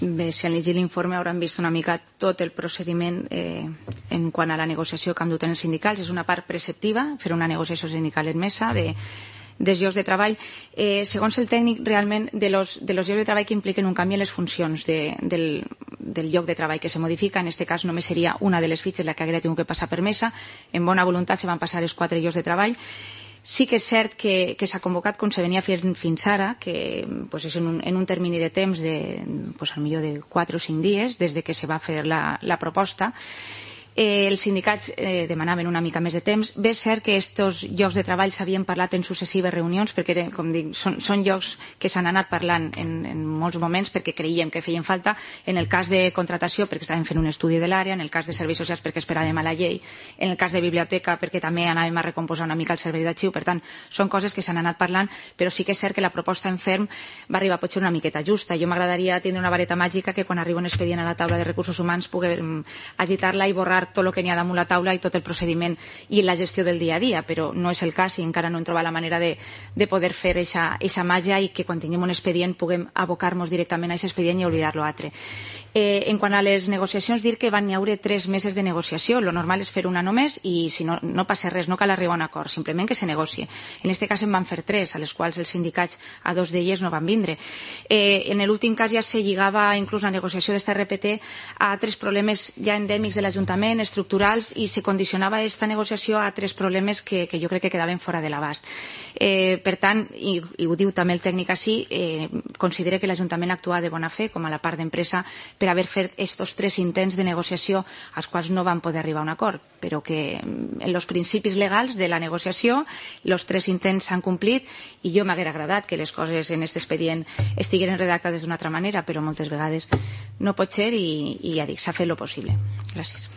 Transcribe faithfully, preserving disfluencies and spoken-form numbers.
Bé, si han llegit l'informe hauran vist una mica tot el procediment eh, en quant a la negociació que han dut en els sindicals. És una part preceptiva, fer una negociació sindical en mesa de, dels llocs de treball. Eh, segons el tècnic, realment, de los, de los llocs de treball que impliquen un canvi en les funcions de, del, del lloc de treball que se modifica, en aquest cas només seria una de les fitxes la que hauria tingut que passar per mesa. En bona voluntat se van passar els quatre llocs de treball. Sí que és cert que, que s'ha convocat com se venia fent fins ara, que pues, és en un, en un termini de temps de, pues, al millor de quatre o cinc dies des de que se va fer la, la proposta. Eh, els sindicats eh, demanaven una mica més de temps. Bé, és cert que aquests llocs de treball s'havien parlat en successives reunions perquè, com dic, són, són llocs que s'han anat parlant en, en molts moments perquè creiem que feien falta. En el cas de contratació perquè estàvem fent un estudi de l'àrea, en el cas de serveis socials perquè esperàvem a la llei, en el cas de biblioteca perquè també anàvem a recomposar una mica el servei d'arxiu. Per tant, són coses que s'han anat parlant, però sí que és cert que la proposta en ferm va arribar potser una miqueta justa. Jo m'agradaria tindre una vareta màgica que quan arriba un expedient a la taula de recursos humans puguem agitar-la i borrar tot el que n'hi ha damunt la taula i tot el procediment i la gestió del dia a dia, però no és el cas i encara no hem trobat la manera de, de poder fer aquesta màgia i que quan tinguem un expedient puguem abocar-nos directament a aquest expedient i oblidar-lo altre. Eh, en quant a les negociacions, dir que van haure tres meses de negociació. Lo normal és fer una només i si no, no passa res, no cal arribar a un acord, simplement que se negocie. En aquest cas en van fer tres, a les quals els sindicats a dos d'elles no van vindre. Eh, en l'últim cas ja se lligava inclús la negociació d'esta R P T a altres problemes ja endèmics de l'Ajuntament, estructurals, i se condicionava aquesta negociació a tres problemes que, que jo crec que quedaven fora de l'abast. Eh, per tant, i, i ho diu també el tècnic així, eh, considera que l'Ajuntament actua de bona fe com a la part d'empresa per haver fet aquests tres intents de negociació als quals no van poder arribar a un acord, però que en els principis legals de la negociació els tres intents s'han complit i jo m'haguera agradat que les coses en aquest expedient estigueren redactades d'una altra manera, però moltes vegades no pot ser i, i ja dic, s'ha fet el possible. Gràcies.